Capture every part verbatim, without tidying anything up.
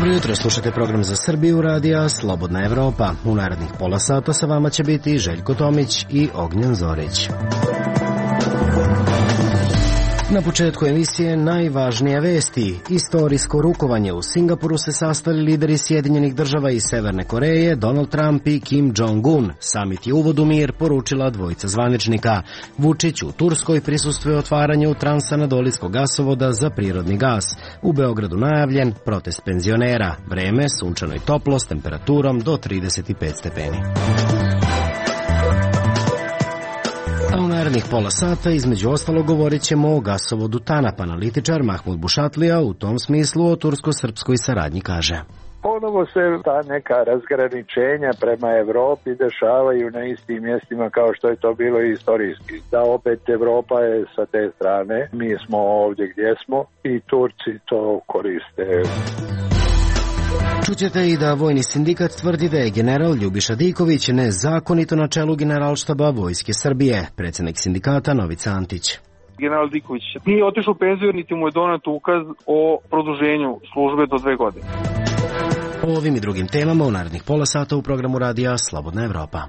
Dobro jutro, slušate program za Srbiju radija Slobodna Evropa. U narednih pola sata sa vama će biti Željko Tomić i Ognjen Zorić. Na početku emisije najvažnije vesti. Istorijsko rukovanje. U Singapuru se sastali lideri Sjedinjenih država i Severne Koreje, Donald Trump i Kim Jong-un. Samit je uvod u mir, poručila dvojica zvaničnika. Vučić u Turskoj prisustvuje otvaranju transanadolijskog gasovoda za prirodni gas. U Beogradu najavljen protest penzionera. Vreme sunčano i toplo s temperaturom do trideset pet stepeni. A u narednih pola sata između ostalog govorit ćemo o gasovodu TANAP. Analitičar Mahmud Bušatlija u tom smislu o tursko-srpskoj saradnji kaže: Ponovo se ta neka razgraničenja prema Evropi dešavaju na istim mjestima kao što je to bilo istorijski. Da opet Evropa je sa te strane, mi smo ovdje gdje smo i Turci to koriste. Čućete i da vojni sindikat tvrdi da je general Ljubiša Diković nezakonito na čelu Generalštaba Vojske Srbije. Predsjednik sindikata Novica Antić. General Diković nije otišao u penziju, niti mu je donet ukaz o produženju službe do dve godine. O ovim i drugim temama u narednih pola sata u programu radija Slobodna Evropa.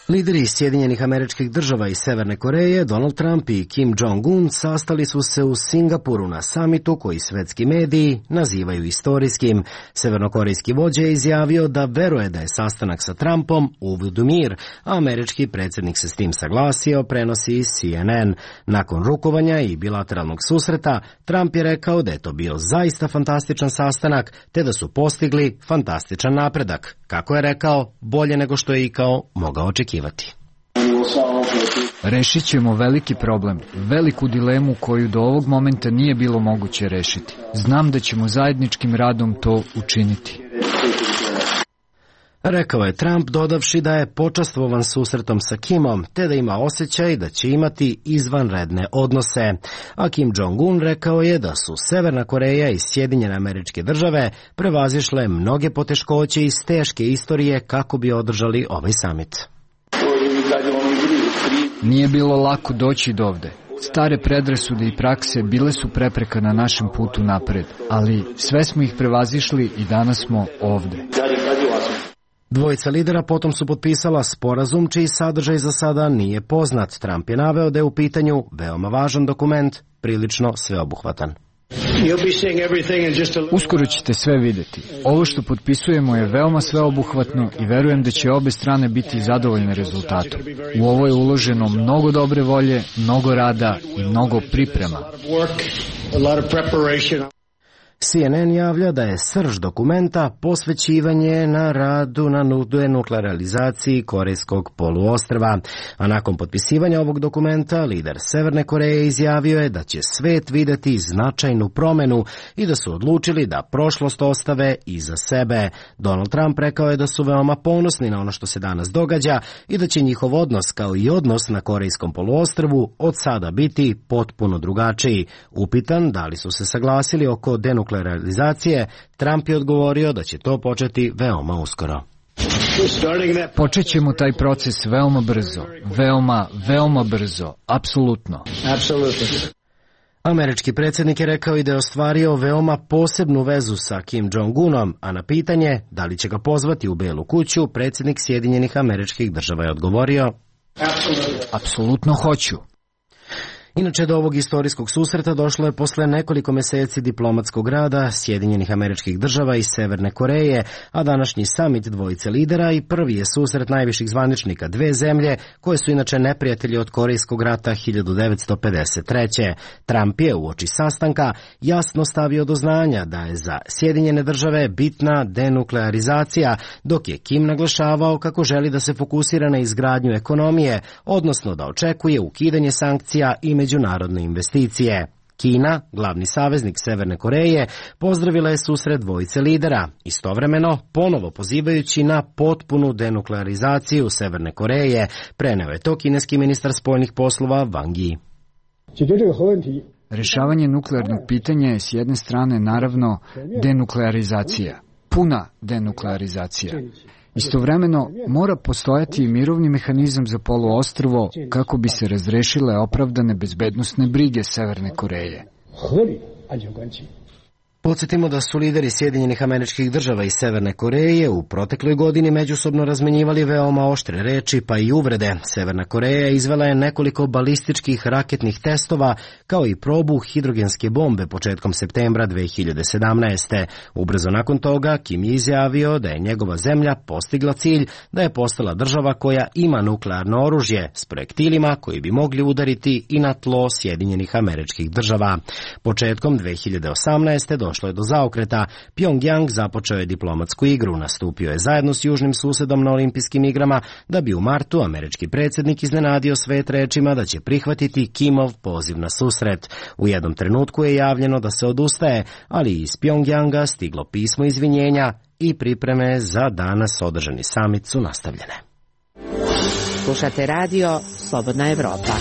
Lideri Sjedinjenih Američkih Država i Severne Koreje, Donald Trump i Kim Jong-un sastali su se u Singapuru na samitu koji svetski mediji nazivaju istorijskim. Severnokorejski vođa je izjavio da veruje da je sastanak sa Trumpom uvod u mir, a američki predsjednik se s tim saglasio, prenosi C N N. Nakon rukovanja i bilateralnog susreta, Trump je rekao da je to bio zaista fantastičan sastanak, te da su postigli fantastičan napredak. Kako je rekao, bolje nego što je ikao mogao očekivati. Rešit ćemo veliki problem, veliku dilemu koju do ovog momenta nije bilo moguće rešiti. Znam da ćemo zajedničkim radom to učiniti. Rekao je Trump, dodavši da je počastvovan susretom sa Kimom, te da ima osjećaj da će imati izvanredne odnose. A Kim Jong-un rekao je da su Severna Koreja i Sjedinjene Američke Države prevazišle mnoge poteškoće iz teške istorije kako bi održali ovaj samit. Nije bilo lako doći do ovde. Stare predrasude i prakse bile su prepreka na našem putu napred, ali sve smo ih prevazišli i danas smo ovde. Dvojica lidera potom su potpisala sporazum čiji sadržaj za sada nije poznat. Trump je naveo da je u pitanju veoma važan dokument, prilično sveobuhvatan. Uskoro ćete sve videti. Ovo što potpisujemo je veoma sveobuhvatno i verujem da će obe strane biti zadovoljne rezultatom. U ovo je uloženo mnogo dobre volje, mnogo rada i mnogo priprema. C N N javlja da je srž dokumenta posvećivanje na radu na denuklearizaciji Korejskog poluostrva. A nakon potpisivanja ovog dokumenta, lider Severne Koreje izjavio je da će svet videti značajnu promenu i da su odlučili da prošlost ostave iza sebe. Donald Trump rekao je da su veoma ponosni na ono što se danas događa i da će njihov odnos kao i odnos na Korejskom poluostrvu od sada biti potpuno drugačiji. Upitan da li su se saglasili oko denuklearizacije nuklearizacije, Trump je odgovorio da će to početi veoma uskoro. Počet ćemo taj proces veoma brzo, veoma, veoma brzo, apsolutno. Američki predsjednik je rekao i da je ostvario veoma posebnu vezu sa Kim Jong-unom, a na pitanje da li će ga pozvati u Belu kuću, predsjednik Sjedinjenih Američkih Država je odgovorio: apsolutno hoću. Inače, do ovog istorijskog susreta došlo je posle nekoliko meseci diplomatskog rada Sjedinjenih Američkih Država i Severne Koreje, a današnji samit dvojice lidera i prvi je susret najviših zvaničnika dve zemlje, koje su inače neprijatelji od Korejskog rata hiljadu devetsto pedeset treće. Trump je uoči sastanka jasno stavio do znanja da je za Sjedinjene Države bitna denuklearizacija, dok je Kim naglašavao kako želi da se fokusira na izgradnju ekonomije, odnosno da očekuje ukidanje sankcija i međunarodne investicije. Kina, glavni saveznik Severne Koreje, pozdravila je susret dvojice lidera, istovremeno ponovo pozivajući na potpunu denuklearizaciju Severne Koreje, preneo je to kineski ministar spoljnih poslova Wang Yi. Rešavanje nuklearnog pitanja je s jedne strane naravno denuklearizacija, puna denuklearizacija. Istovremeno mora postojati i mirovni mehanizam za poluostrvo kako bi se razrešile opravdane bezbednosne brige Severne Koreje. 安全关系。 Podsjetimo da su lideri Sjedinjenih Američkih Država i Severne Koreje u protekloj godini međusobno razmenjivali veoma oštre reči pa i uvrede. Severna Koreja izvela je nekoliko balističkih raketnih testova kao i probu hidrogenske bombe početkom septembra dve hiljade sedamnaeste. Ubrzo nakon toga Kim je izjavio da je njegova zemlja postigla cilj da je postala država koja ima nuklearno oružje s projektilima koji bi mogli udariti i na tlo Sjedinjenih Američkih Država. Početkom dve hiljade osamnaeste došlo je do zaokreta. Pjongjang započeo je diplomatsku igru, nastupio je zajedno s južnim susedom na olimpijskim igrama da bi u martu američki predsjednik iznenadio svet rečima da će prihvatiti Kimov poziv na susret. U jednom trenutku je javljeno da se odustaje, ali iz Pjongjanga stiglo pismo izvinjenja i pripreme za danas održani samit su nastavljene. Slušate radio Slobodna Evropa.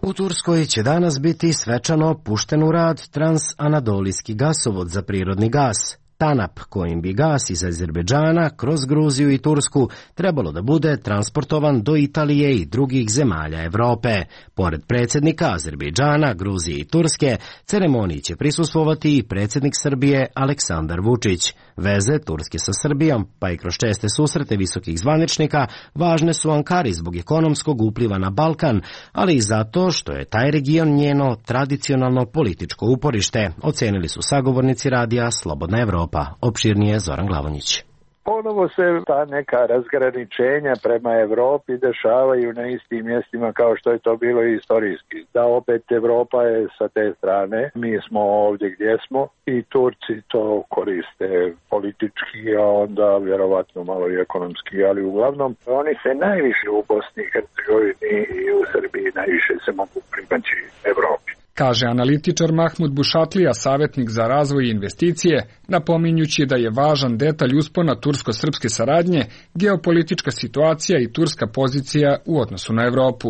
U Turskoj će danas biti svečano pušten u rad transanadolijski gasovod za prirodni gas, TANAP, kojim bi gas iz Azerbejdžana kroz Gruziju i Tursku trebalo da bude transportovan do Italije i drugih zemalja Evrope. Pored predsjednika Azerbejdžana, Gruzije i Turske, ceremoniji će prisustvovati i predsjednik Srbije Aleksandar Vučić. Veze Turske sa Srbijom, pa i kroz česte susrete visokih zvaničnika, važne su Ankari zbog ekonomskog upliva na Balkan, ali i zato što je taj region njeno tradicionalno političko uporište, ocenili su sagovornici radija Slobodna Evropa. Opširnije Zoran Glavonjić. Ponovo se ta neka razgraničenja prema Evropi dešavaju na istim mjestima kao što je to bilo i istorijski. Da opet Evropa je sa te strane, mi smo ovdje gdje smo i Turci to koriste politički, a onda vjerovatno malo i ekonomski, ali uglavnom oni se najviše u Bosni i Hercegovini i u Srbiji najviše se mogu primaći Evropi. Kaže analitičar Mahmud Bušatlija, savjetnik za razvoj i investicije, napominjući da je važan detalj uspona tursko-srpske saradnje geopolitička situacija i turska pozicija u odnosu na Evropu.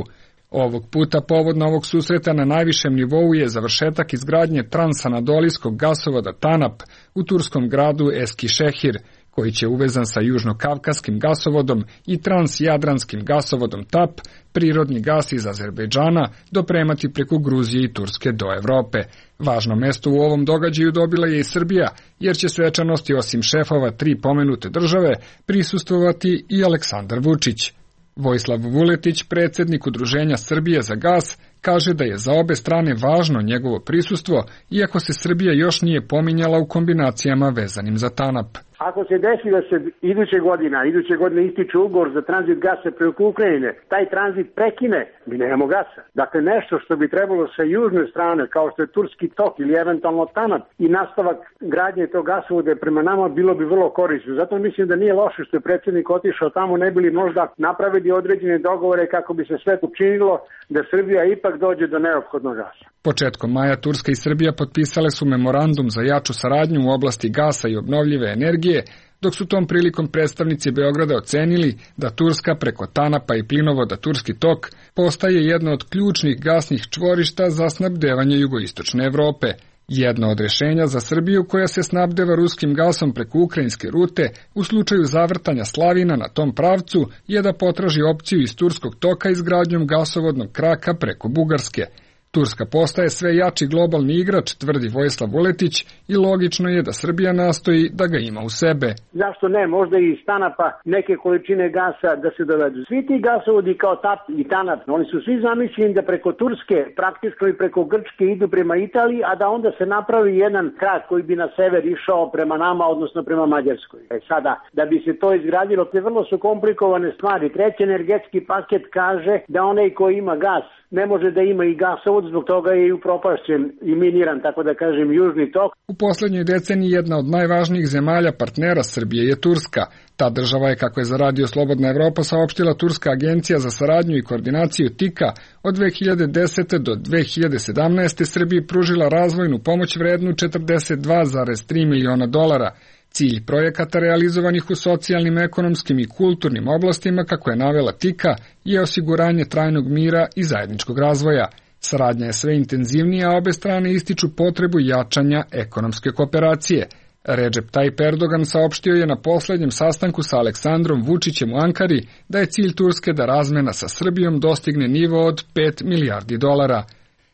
Ovog puta povod novog susreta na najvišem nivou je završetak izgradnje transanadolijskog gasovoda TANAP u turskom gradu Eskişehir, koji će uvezan sa južno-kavkaskim gasovodom i transjadranskim gasovodom TAP, prirodni gas iz Azerbejdžana, dopremati preko Gruzije i Turske do Evrope. Važno mesto u ovom događaju dobila je i Srbija, jer će svečanosti osim šefova tri pomenute države prisustvovati i Aleksandar Vučić. Vojislav Vuletić, predsjednik Udruženja Srbije za gas, kaže da je za obe strane važno njegovo prisustvo, iako se Srbija još nije pominjala u kombinacijama vezanim za TANAP. Ako se desi da se iduće godina, iduće godine ističe ugovor za tranzit gasa preko Ukrajine, taj tranzit prekine, mi nemamo gasa. Dakle, nešto što bi trebalo sa južne strane, kao što je Turski tok ili eventualno TANAP i nastavak gradnje tog gasovoda prema nama, bilo bi vrlo korisno. Zato mislim da nije loše što je predsjednik otišao tamo, ne bi li možda napravili određene dogovore kako bi se sve učinilo da Srbija ipak dođe do neophodnog gasa. Početkom maja Turska i Srbija potpisale su memorandum za jaču saradnju u oblasti gasa i obnovljive energije, dok su tom prilikom predstavnici Beograda ocenili da Turska preko TANAP-a i plinovoda Turski tok postaje jedno od ključnih gasnih čvorišta za snabdevanje jugoistočne Evrope. Jedno od rješenja za Srbiju koja se snabdeva ruskim gasom preko ukrajinske rute u slučaju zavrtanja slavina na tom pravcu je da potraži opciju iz Turskog toka izgradnjom gasovodnog kraka preko Bugarske. Turska postaje sve jači globalni igrač, tvrdi Vojislav Vuletić, i logično je da Srbija nastoji da ga ima u sebe. Zašto ne, možda i iz TANAP-a neke količine gasa da se dovedu. Svi ti gasovodi kao TAP i TANAP, oni su svi zamišljeni da preko Turske, praktično i preko Grčke idu prema Italiji, a da onda se napravi jedan krak koji bi na sever išao prema nama, odnosno prema Mađarskoj. E sada, da bi se to izgradilo, te vrlo su komplikovane stvari. Treći energetski paket kaže da onaj ko ima gas ne može da ima i gasovod, zbog toga je i upropašćen i miniran, tako da kažem, južni tok. U posljednjoj deceniji jedna od najvažnijih zemalja partnera Srbije je Turska. Ta država je, kako je za radio Slobodna Evropa saopštila Turska agencija za saradnju i koordinaciju TIKA, od dve hiljade desete do dve hiljade sedamnaeste Srbiji pružila razvojnu pomoć vrednu četrdeset dva zarez tri miliona dolara. Cilj projekata realizovanih u socijalnim, ekonomskim i kulturnim oblastima, kako je navela TIKA, je osiguranje trajnog mira i zajedničkog razvoja. Saradnja je sve intenzivnija, a obe strane ističu potrebu jačanja ekonomske kooperacije. Recep Tayyip Erdogan saopštio je na posljednjem sastanku sa Aleksandrom Vučićem u Ankari da je cilj Turske da razmena sa Srbijom dostigne nivo od pet milijardi dolara.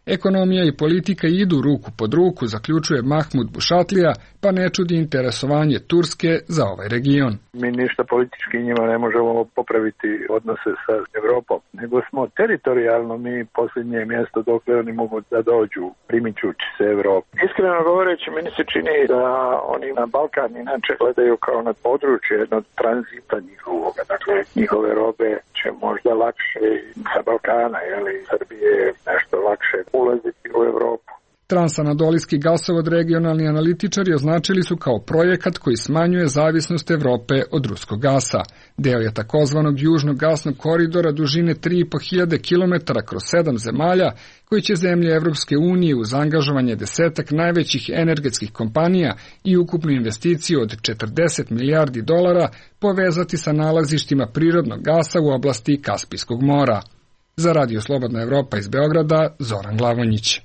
Ekonomija i politika idu ruku pod ruku, zaključuje Mahmud Bušatlija, pa ne čudi interesovanje Turske za ovaj region. Mi ništa politički njima ne možemo popraviti odnose sa Evropom, nego smo teritorijalno mi posljednje mjesto dokle oni mogu da dođu primičući se Evropi. Iskreno govoreći, meni se čini da oni na Balkan inače gledaju kao na područje jednog tranzita njihovoga, dakle njihove robe će možda lakše sa Balkana, jeli Srbije nešto lakše ulaziti u Evropu. Transanadolijski gasovod regionalni analitičari označili su kao projekat koji smanjuje zavisnost Evrope od ruskog gasa. Deo je takozvanog južnog gasnog koridora dužine tri i po hiljade kilometara kroz sedam zemalja, koji će zemlje Evropske unije uz angažovanje desetak najvećih energetskih kompanija i ukupnu investiciju od četrdeset milijardi dolara povezati sa nalazištima prirodnog gasa u oblasti Kaspijskog mora. Za Radio Slobodna Evropa iz Beograda, Zoran Glavonjić.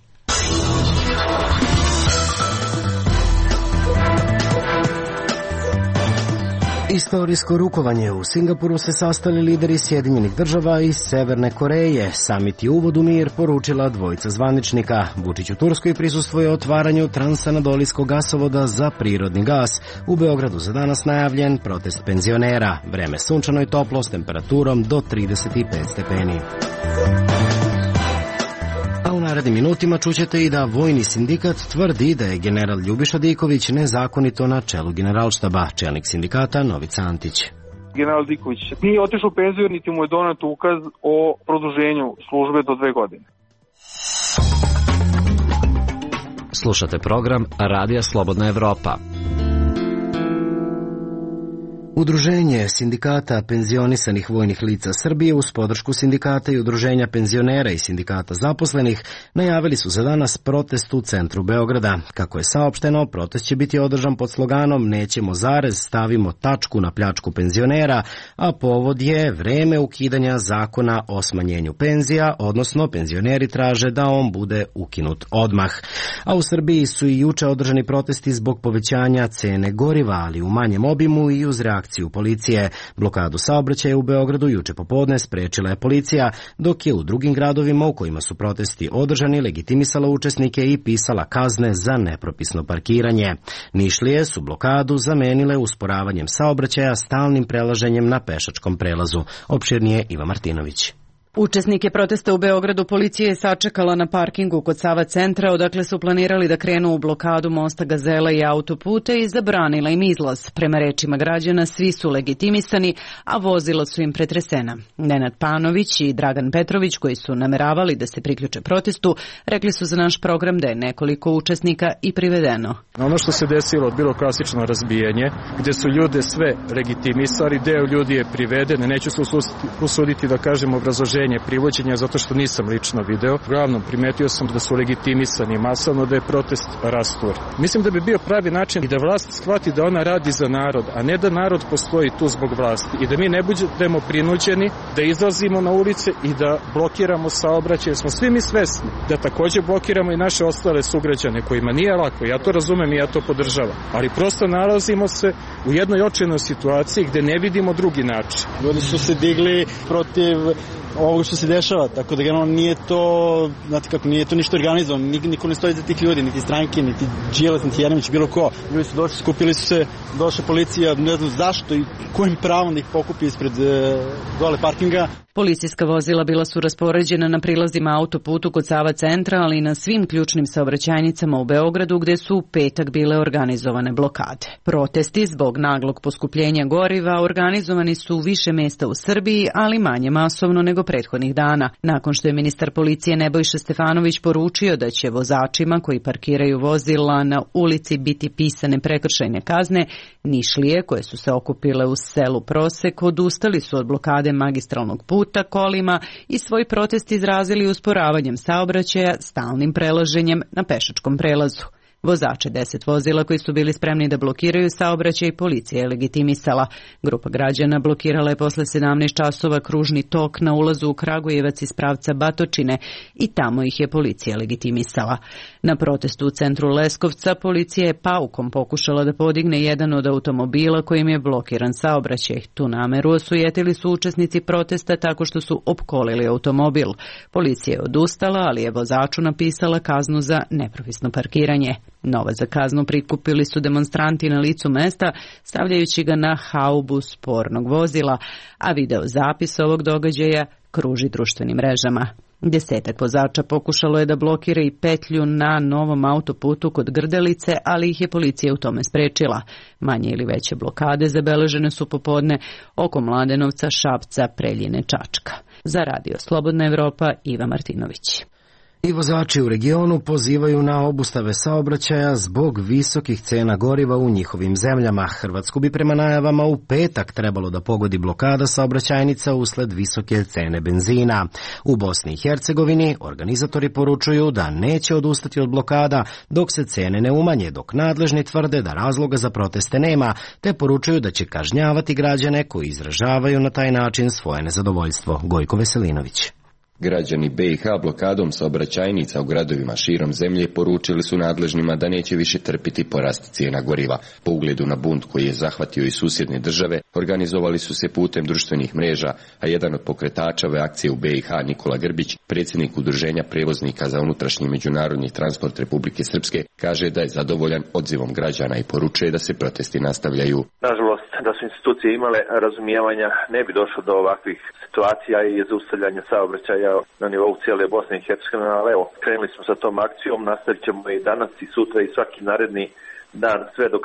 Istorijsko rukovanje. U Singapuru se sastali lideri Sjedinjenih država i Severne Koreje. Samit je uvod u mir, poručila dvojica zvaničnika. Vučić u Turskoj prisustvuje otvaranju transanadolijskog gasovoda za prirodni gas. U Beogradu za danas najavljen protest penzionera. Vreme sunčano i toplo s temperaturom do trideset pet stepeni. A u narednim minutima čućete i da vojni sindikat tvrdi da je general Ljubiša Diković nezakonito na čelu generalštaba. Čelnik sindikata Novica Antić. General Diković nije otišao u penziju, niti mu je donet ukaz o produženju službe do dve godine. Slušate program Radija Slobodna Evropa. Udruženje sindikata penzionisanih vojnih lica Srbije uz podršku sindikata i udruženja penzionera i sindikata zaposlenih najavili su za danas protest u centru Beograda. Kako je saopšteno, protest će biti održan pod sloganom "Nećemo zarez, stavimo tačku na pljačku penzionera", a povod je vreme ukidanja zakona o smanjenju penzija, odnosno penzioneri traže da on bude ukinut odmah. A u Srbiji su i juče održani protesti zbog povećanja cene goriva, ali u manjem obimu i uz reakciju policije. Blokadu saobraćaja u Beogradu juče popodne sprečila je policija, dok je u drugim gradovima u kojima su protesti održani legitimisala učesnike i pisala kazne za nepropisno parkiranje. Nišlije su blokadu zamenile usporavanjem saobraćaja stalnim prelaženjem na pešačkom prelazu. Opširnije Iva Martinović. Učesnike protesta u Beogradu policija je sačekala na parkingu kod Sava centra, odakle su planirali da krenu u blokadu mosta Gazela i autoputa i zabranila im izlaz. Prema rečima građana, svi su legitimisani, a vozila su im pretresena. Nenad Panović i Dragan Petrović, koji su nameravali da se priključe protestu, rekli su za naš program da je nekoliko učesnika i privedeno. Ono što se desilo, bilo klasično razbijanje, gde su ljude sve legitimisali, deo ljudi je priveden, neću se usuditi da kažem obrazloženje privođenja zato što nisam lično video. Uglavnom, primetio sam da su legitimisani masovno, da je protest rastur. Mislim da bi bio pravi način i da vlast shvati da ona radi za narod, a ne da narod postoji tu zbog vlasti i da mi ne budemo prinuđeni da izlazimo na ulice i da blokiramo saobraćaj. Smo svi mi svesni da takođe blokiramo i naše ostale sugrađane kojima nije lako. Ja to razumem i ja to podržavam. Ali prosto nalazimo se u jednoj očajnoj situaciji gde ne vidimo drugi način. Ljudi su se digli protiv ovoga što se dešava, tako da generalno nije to, znate kako, nije to ništa organizovano, niko ne stoji za tih ljudi, niti stranke, niti Đilas, niti Jeremić, bilo ko. Ljudi su došli, skupili su se, došla policija, ne znam zašto i kojim pravom da ih pokupi ispred e, dole parkinga. Policijska vozila bila su raspoređena na prilazima autoputu kod Sava centra, ali i na svim ključnim saobraćajnicama u Beogradu, gde su u petak bile organizovane blokade. Protesti zbog naglog poskupljenja goriva organizovani su u više mesta u Srbiji, ali manje masovno nego prethodnih dana. Nakon što je ministar policije Nebojša Stefanović poručio da će vozačima koji parkiraju vozila na ulici biti pisane prekršajne kazne, Nišlije, koje su se okupile u selu Prosek, odustali su od blokade magistralnog puta kolima i svoj protest izrazili usporavanjem saobraćaja, stalnim prelaženjem na pešačkom prelazu. Vozače deset vozila koji su bili spremni da blokiraju saobraćaj policija je legitimisala. Grupa građana blokirala je posle sedamnaest časova kružni tok na ulazu u Kragujevac iz pravca Batočine i tamo ih je policija legitimisala. Na protestu u centru Leskovca policija je paukom pokušala da podigne jedan od automobila kojim je blokiran saobraćaj. Tu nameru osujetili su učesnici protesta tako što su opkolili automobil. Policija je odustala, ali je vozaču napisala kaznu za nepropisno parkiranje. Novac za kaznu prikupili su demonstranti na licu mesta, stavljajući ga na haubu spornog vozila, a video zapis ovog događaja kruži društvenim mrežama. Desetak vozača pokušalo je da blokira i petlju na novom autoputu kod Grdelice, ali ih je policija u tome sprečila. Manje ili veće blokade zabeležene su popodne oko Mladenovca, Šapca, Preljine, Čačka. Za Radio Slobodna Evropa, Iva Martinović. I vozači u regionu pozivaju na obustave saobraćaja zbog visokih cena goriva u njihovim zemljama. Hrvatsku bi prema najavama u petak trebalo da pogodi blokada saobraćajnica usled visoke cene benzina. U Bosni i Hercegovini organizatori poručuju da neće odustati od blokada dok se cene ne umanje, dok nadležni tvrde da razloga za proteste nema, te poručuju da će kažnjavati građane koji izražavaju na taj način svoje nezadovoljstvo. Gojko Veselinović. Građani B i H blokadom saobraćajnica u gradovima širom zemlje poručili su nadležnima da neće više trpiti porast cijena goriva. Po ugledu na bunt koji je zahvatio i susjedne države, organizovali su se putem društvenih mreža, a jedan od pokretača ove akcije u B i H, Nikola Grbić, predsjednik Udruženja prevoznika za unutrašnji i međunarodni transport Republike Srpske, kaže da je zadovoljan odzivom građana i poručuje da se protesti nastavljaju. Nažalost, da su institucije imale razumijevanja, ne bi došlo do ovakvih situacija i zaustavljanja saobraćaja na nivou cijele Bosne i Hercegovine, ali evo, krenuli smo sa tom akcijom, nastavit ćemo i danas i sutra i svaki naredni dan, sve dok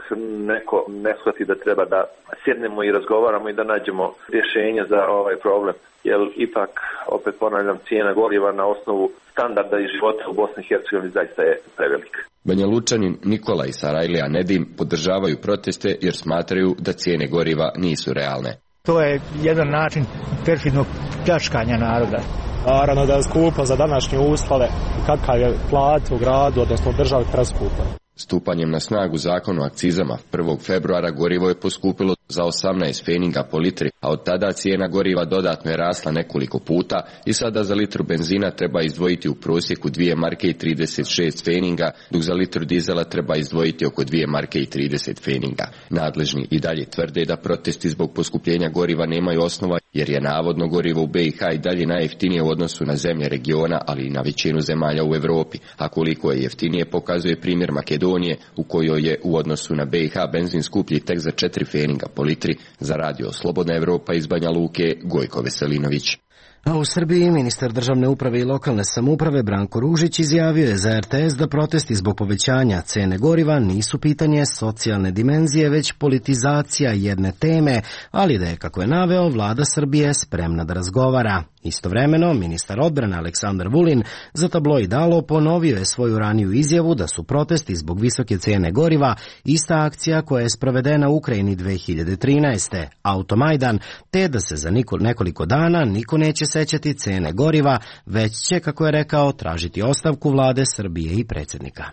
neko ne shvati da treba da sjednemo i razgovaramo i da nađemo rješenje za ovaj problem. Jer ipak, opet ponavljam, cijena goriva na osnovu standarda i života u Bosni i Hercegovini zaista je prevelik. Banja Lučanin Nikola i Sarajlija Nedim podržavaju proteste jer smatraju da cijene goriva nisu realne. To je jedan način perfidnog pljačkanja naroda. Naravno da je skupo za današnje uslove, kakav je plat u gradu, odnosno u državi preskupo. Stupanjem na snagu zakona o akcizama prvog februara gorivo je poskupilo za osamnaest feninga po litri, a od tada cijena goriva dodatno je rasla nekoliko puta i sada za litru benzina treba izdvojiti u prosjeku dvije marke i trideset šest feninga, dok za litru dizela treba izdvojiti oko dvije marke i trideset feninga. Nadležni i dalje tvrde da protesti zbog poskupljenja goriva nemaju osnova, jer je navodno gorivo u B i H i dalje najjeftinije u odnosu na zemlje regiona, ali i na većinu zemalja u Evropi, a koliko je jeftinije pokazuje primjer Makedonije, u kojoj je u odnosu na B i H benzin skuplji tek za četiri feninga po litri. Za Radio Slobodna Evropa iz Banja Luke, Gojko Veselinović. A u Srbiji ministar državne uprave i lokalne samouprave Branko Ružić izjavio je za R T S da protesti zbog povećanja cene goriva nisu pitanje socijalne dimenzije, već politizacija jedne teme, ali da je, kako je naveo, vlada Srbije spremna da razgovara. Istovremeno, ministar odbrane Aleksandar Vulin za tabloid Alo ponovio je svoju raniju izjavu da su protesti zbog visoke cijene goriva ista akcija koja je sprovedena u Ukrajini dve hiljade trinaeste. Automajdan, te da se za nekoliko dana niko neće sećati cene goriva, već će, kako je rekao, tražiti ostavku vlade Srbije i predsjednika.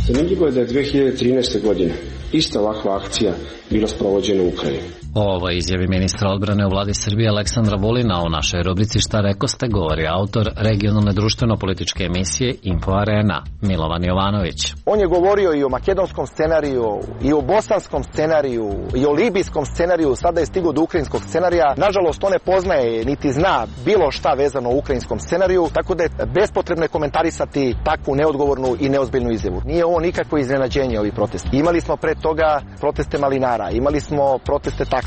Zanimljivo je da je dve hiljade trinaeste. godine ista ovakva akcija bila sprovođena u Ukrajini. Ovo izjavi ministra odbrane u vladi Srbije Aleksandra Vulina. U našoj rubrici Šta rekoste govori autor regionalne društveno-političke emisije Info Arena, Milovan Jovanović. On je govorio i o makedonskom scenariju, i o bosanskom scenariju, i o libijskom scenariju, sada je stigao do ukrajinskog scenarija. Nažalost, on ne poznaje niti zna bilo šta vezano o ukrajinskom scenariju, tako da je bespotrebno komentarisati takvu neodgovornu i neozbiljnu izjavu. Nije ovo nikakvo iznenađenje, ovi protesti. Imali smo pre toga proteste malinara, imali smo proteste taksista.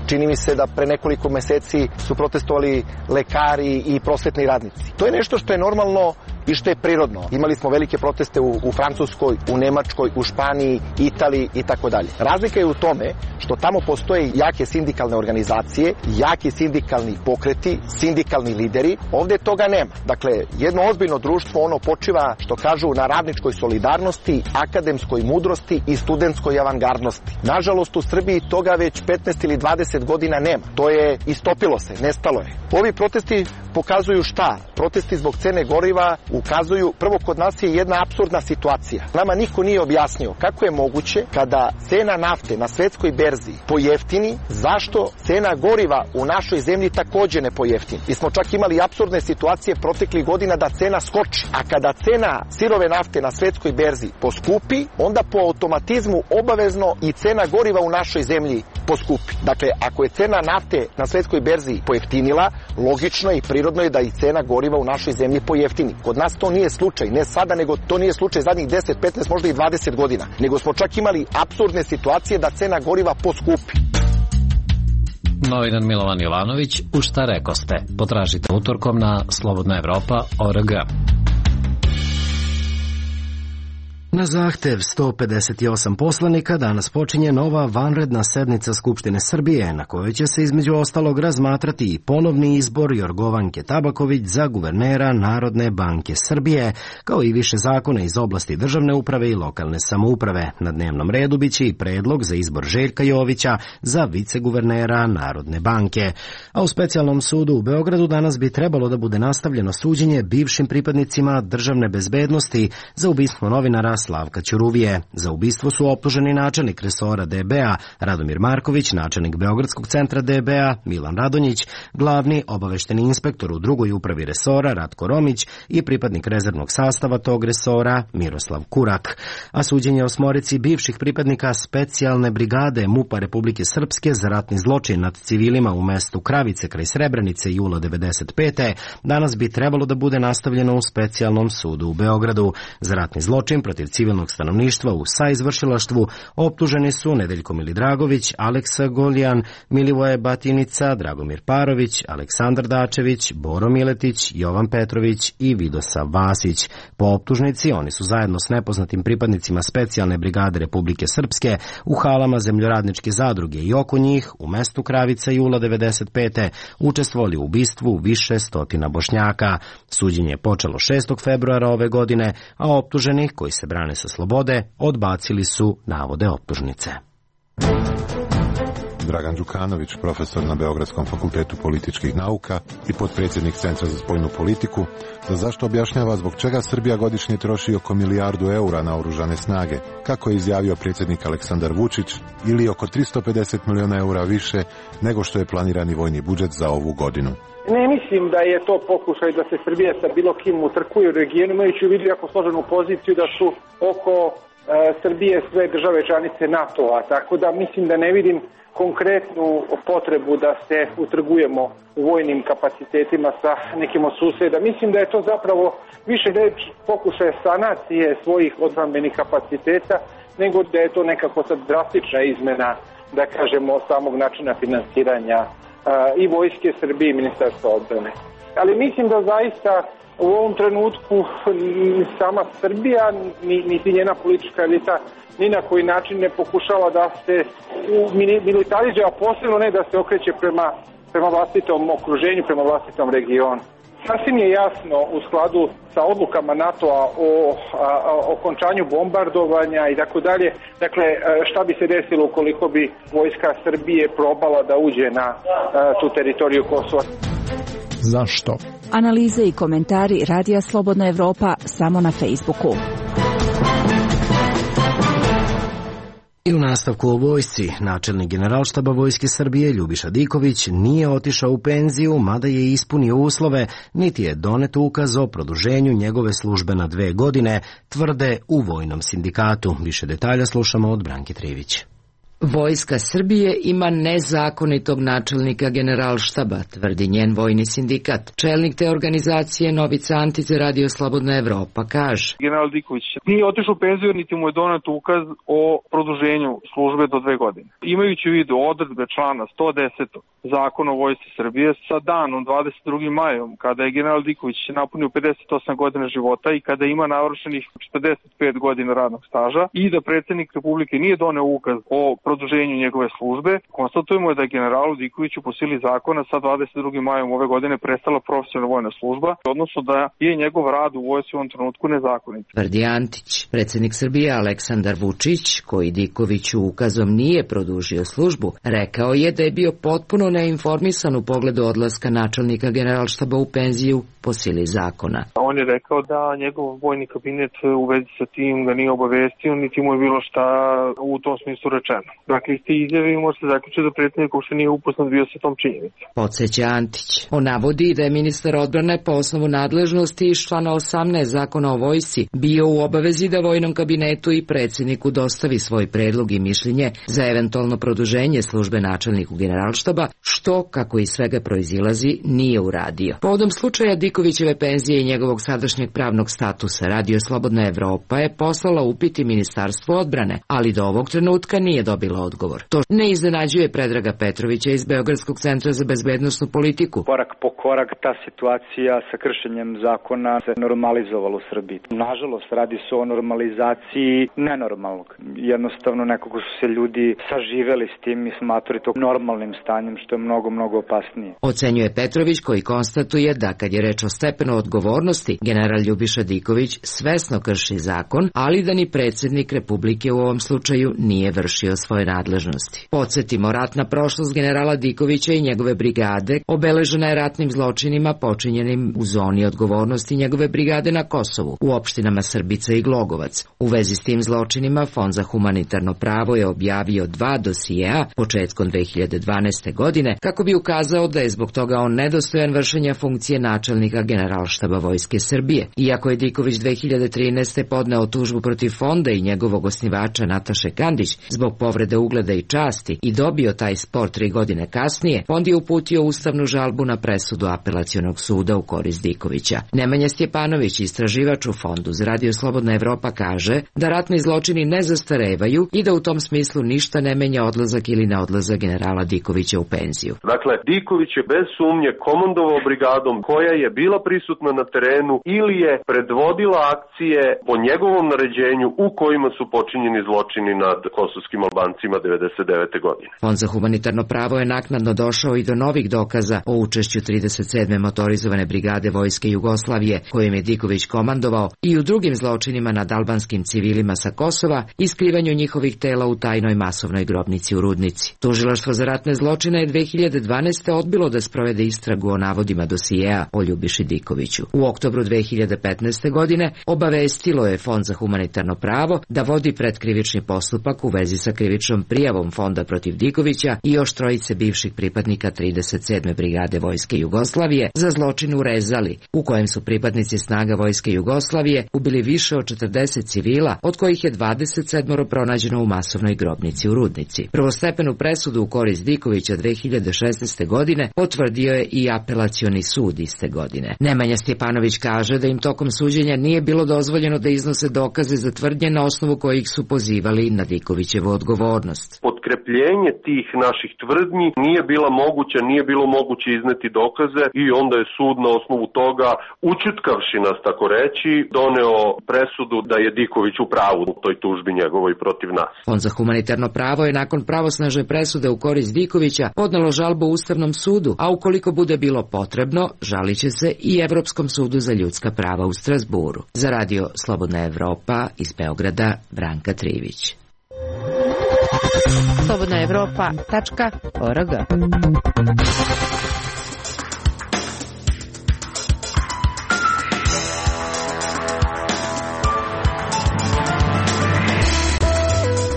Čini mi se da pre nekoliko meseci su protestovali lekari i prosvetni radnici. To je nešto što je normalno i što je prirodno. Imali smo velike proteste u, u Francuskoj, u Nemačkoj, u Španiji, Italiji i tako dalje. Razlika je u tome što tamo postoje jake sindikalne organizacije, jaki sindikalni pokreti, sindikalni lideri. Ovde toga nema. Dakle, jedno ozbiljno društvo ono počiva, što kažu, na radničkoj solidarnosti, akademskoj mudrosti i studentskoj avangardnosti. Nažalost, u Srbiji toga već petnaest ili dvadeset godina nema. To je istopilo se, nestalo je. Ovi protesti pokazuju šta? Protesti zbog cene goriva ukazuju, prvo, kod nas je jedna apsurdna situacija. Nama niko nije objasnio kako je moguće kada cena nafte na svetskoj berzi pojeftini, zašto cena goriva u našoj zemlji takođe ne pojeftini. Mi smo čak imali apsurdne situacije proteklih godina da cena skoči, a kada cena sirove nafte na svetskoj berzi poskupi, onda po automatizmu obavezno i cena goriva u našoj zemlji poskupi. Dakle, ako je cena nafte na svetskoj berzi pojeftinila, logično i prirodno je da i cena goriva u našoj zemlji pojeftini. Kod nas to nije slučaj, ne sada, nego to nije slučaj zadnjih deset, petnaest, možda i dvadeset godina. Nego smo čak imali apsurdne situacije da cena goriva poskupi. Novinar Milovan Jovanović, u šta rekoste? Potražite utorkom na slobodna evropa точка org. Na zahtev sto pedeset osam poslanika danas počinje nova vanredna sednica Skupštine Srbije, na kojoj će se između ostalog razmatrati i ponovni izbor Jorgovanke Tabaković za guvernera Narodne banke Srbije, kao i više zakona iz oblasti državne uprave i lokalne samouprave. Na dnevnom redu biće i predlog za izbor Željka Jovića za viceguvernera Narodne banke. A u specijalnom sudu u Beogradu danas bi trebalo da bude nastavljeno suđenje bivšim pripadnicima državne bezbednosti za ubistvo novinara Slavka Ćuruvije. Za ubistvo su optuženi načelnik resora D B A Radomir Marković, načelnik Beogradskog centra D B A Milan Radonjić, glavni obavešteni inspektor u drugoj upravi resora Ratko Romić i pripadnik rezervnog sastava tog resora Miroslav Kurak. A suđenje osmorici bivših pripadnika specijalne brigade MUP-a Republike Srpske za ratni zločin nad civilima u mestu Kravice kraj Srebrenice jula devedeset pete danas bi trebalo da bude nastavljeno u specijalnom sudu u Beogradu. Za ratni zločin protiv civilnog stanovništva u saizvršilaštvu optuženi su Nedeljko Milidragović, Aleksa Goljan, Milivoje Batinica, Dragomir Parović, Aleksandar Dačević, Boro Miletić, Jovan Petrović i Vidosav Vasić. Po optužnici oni su zajedno s nepoznatim pripadnicima specijalne brigade Republike Srpske u halama zemljoradničke zadruge i oko njih u mestu Kravica jula devedeset pete učestvovali u ubistvu više stotina Bošnjaka. Suđenje je počelo šestog februara ove godine, a optuženi koji se brane sa slobode odbacili su navode optužnice. Dragan Đukanović, profesor na Beogradskom fakultetu političkih nauka i potpredsjednik Centra za spoljnu politiku, za zašto objašnjava zbog čega Srbija godišnje troši oko milijardu eura na oružane snage, kako je izjavio predsjednik Aleksandar Vučić, ili oko tristo pedeset miliona eura više nego što je planirani vojni budžet za ovu godinu. Ne mislim da je to pokušaj da se Srbija sa bilo kim utrkuje u regionu, imajući u vidu jako složenu poziciju da su oko e, Srbije sve države članice NATO-a, tako da mislim da ne vidim konkretnu potrebu da se utrgujemo u vojnim kapacitetima sa nekim od suseda. Mislim da je to zapravo više reč pokušaj sanacije svojih odbrambenih kapaciteta, nego da je to nekako sad drastična izmena, da kažemo, samog načina finansiranja i vojske Srbije i ministarstva odbrane. Ali mislim da zaista u ovom trenutku sama Srbija, niti njena politička elita, ni na koji način ne pokušava da se militarizuje, a posebno ne da se okreće prema, prema vlastitom okruženju, prema vlastitom regionu. Sasvim je jasno u skladu sa odlukama NATO-a o okončanju bombardovanja i tako dalje, dakle šta bi se desilo ukoliko bi vojska Srbije probala da uđe na a, tu teritoriju Kosova. Zašto? Analize i komentari Radija Slobodna Evropa samo na Facebooku. I u nastavku o vojsci, načelnik Generalštaba Vojske Srbije Ljubiša Diković nije otišao u penziju, mada je ispunio uslove, niti je donet ukaz o produženju njegove službe na dve godine, tvrde u Vojnom sindikatu. Više detalja slušamo od Branke Trivić. Vojska Srbije ima nezakonitog načelnika Generalštaba, tvrdi njen vojni sindikat. Čelnik te organizacije Novica Antić za Radio Slobodna Evropa kaže: General Diković nije otišao u penziju, niti mu je donet ukaz o produženju službe do dve godine. Imajući u vidu odredbe člana sto deset Zakona o Vojsci Srbije sa danom dvadeset drugog majom, kada je general Diković napunio pedeset osam godina života i kada ima navršenih četrdeset pet godina radnog staža i da predsjednik Republike nije doneo ukaz o produženju njegove službe, konstatujemo je da je generalu Dikoviću po sili zakona sa dvadeset drugog majom ove godine prestala profesionalna vojna služba, odnosno da je njegov rad u vojsci u ovom trenutku nezakonit. Tvrdi Antić. Predsjednik Srbije Aleksandar Vučić, koji Dikoviću ukazom nije produžio službu, rekao je da je bio potpuno neinformisan u pogledu odlaska načelnika Generalštaba u penziju po sili zakona. On je rekao da njegov vojni kabinet u vezi sa tim ga nije obavestio, niti mu je bilo šta u tom smislu rečeno. Dakle, iz te izjave može se zaključiti da predsjednik uopšte nije upoznat bio sa tom činjenicom. Podseća Antić. On navodi da je ministar odbrane po osnovu nadležnosti iz člana osamnaest Zakona o vojsci bio u obavezi da vojnom kabinetu i predsjedniku dostavi svoj predlog i mišljenje za eventualno produženje službe načelniku Generalštaba, što, kako iz svega proizilazi, nije uradio. Povodom slučaja Dikovićeve penzije i njegovog sadašnjeg pravnog statusa, Radio Slobodna Evropa je poslala upit i Ministarstvu odbrane, ali do ovog trenutka nije dobila odgovor. To ne iznenađuje Predraga Petrovića iz Beogradskog centra za bezbednosnu politiku. Korak po korak ta situacija sa kršenjem zakona se normalizovala u Srbiji. Nažalost, radi se o normalizaciji nenormalnog. Jednostavno nekako su se ljudi saživeli s tim i smatrali to normalnim stanjem, što je mnogo, mnogo opasnije. Ocenjuje Petrović, koji konstatuje da kad je reč o stepenu odgovornosti, general Ljubiša Diković svesno krši zakon, ali da ni predsjednik Republike u ovom slučaju nije vršio svoje nadležnosti. Podsjetimo, ratna prošlost generala Dikovića i njegove brigade obeležena je ratnim zločinima počinjenim u zoni odgovornosti njegove brigade na Kosovu, u opštinama Srbica i Glogovac. U vezi s tim zločinima Fond za humanitarno pravo je objavio dva dosijea početkom dve hiljade dvanaeste. godine kako bi ukazao da je zbog toga on nedostojan vršenja funkcije načelnika Generalštaba Vojske Srbije. Iako je Diković dve hiljade trinaeste. podneo tužbu protiv fonda i njegovog osnivača Nataše Kandić zbog povrede ugleda i časti i dobio taj spor tri godine kasnije, fond je uputio ustavnu žalbu na presudu Apelacionog suda u korist Dikovića. Nemanja Stjepanović, istraživač u Fondu za Radio Slobodna Evropa, kaže da ratni zločini ne zastarevaju i da u tom smislu ništa ne menja odlazak ili neodlazak generala Dikovića u penziju. Dakle, Diković je bez sumnje komandovao brigadom koja je bila prisutna na terenu ili je predvodila akcije po njegovom naređenju u kojima su počinjeni zločini nad kosovskim Albancima devedeset devete. godine. Fond za humanitarno pravo je naknadno došao i do novih dokaza o učešću trideset sedme motorizovane brigade Vojske Jugoslavije, kojim je Diković komandovao, i u drugim zločinima nad albanskim civilima sa Kosova i skrivanju njihovih tela u tajnoj masovnoj grobnici u Rudnici. Tužilaštvo za ratne zločine je dve hiljade dvanaeste. odbilo da sprovede istragu o navodima dosijeja o Ljubiši Dikoviću. U oktobru dve hiljade petnaeste. godine obavestilo je Fond za humanitarno pravo da vodi predkrivični postupak u vezi sa krivičnom prijavom Fonda protiv Dikovića i još trojice bivših pripadnika trideset sedme. brigade Vojske Jugoslavije za zločin u Rezali, u kojem su pripadnici snaga Vojske Jugoslavije ubili više od četrdeset civila, od kojih je dvadeset sedam pronađeno u masovnoj grobnici u Rudnici. Prvostepenu presudu u korist Dikovića dve hiljade šesnaeste. godine potvrdio je i Apelacioni sud iste godine. Nemanja Stjepanović kaže da im tokom suđenja nije bilo dozvoljeno da iznose dokaze za tvrdnje na osnovu kojih su pozivali na Dikovićevu odgovornost. Potkrepljenje tih naših tvrdnji nije bila moguća, nije bilo moguće izneti dokaze i onda je sud na osnovu toga, učutkavši nas tako reći, doneo presudu da je Diković u pravu u toj tužbi njegovoj protiv nas. Fond za humanitarno pravo je nakon pravosnažne presude u korist Dikovića podnelo žalbu Ustavnom sudu, a ukoliko bude bilo potrebno, žalit će se i Evropskom sudu za ljudska prava u Strasburu. Za Radio Slobodna Evropa iz Beograda, Branka Trivić. slobodna evropa tačka org.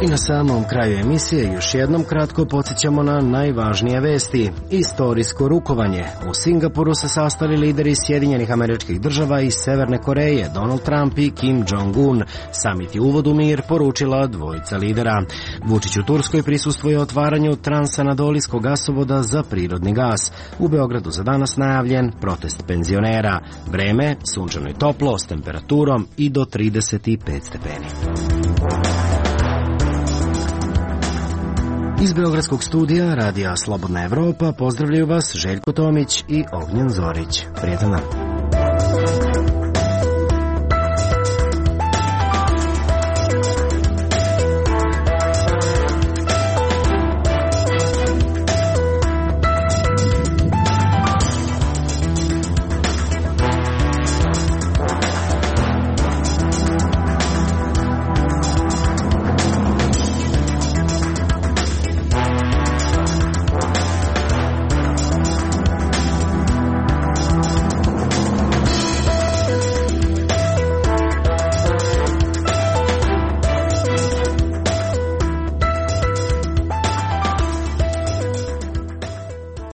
I na samom kraju emisije još jednom kratko podsjećamo na najvažnije vesti. Istorijsko rukovanje. U Singapuru se sastali lideri Sjedinjenih Američkih Država i Severne Koreje, Donald Trump i Kim Jong-un. Samit je uvod u mir, poručila dvojica lidera. Vučić u Turskoj prisustvuje otvaranju transanadolijskog gasovoda za prirodni gas. U Beogradu za danas najavljen protest penzionera. Vreme, sunčano i toplo, s temperaturom i do trideset pet stepeni. Iz Beogradskog studija Radija Slobodna Evropa pozdravljaju vas Željko Tomić i Ognjen Zorić. Prijetan dan.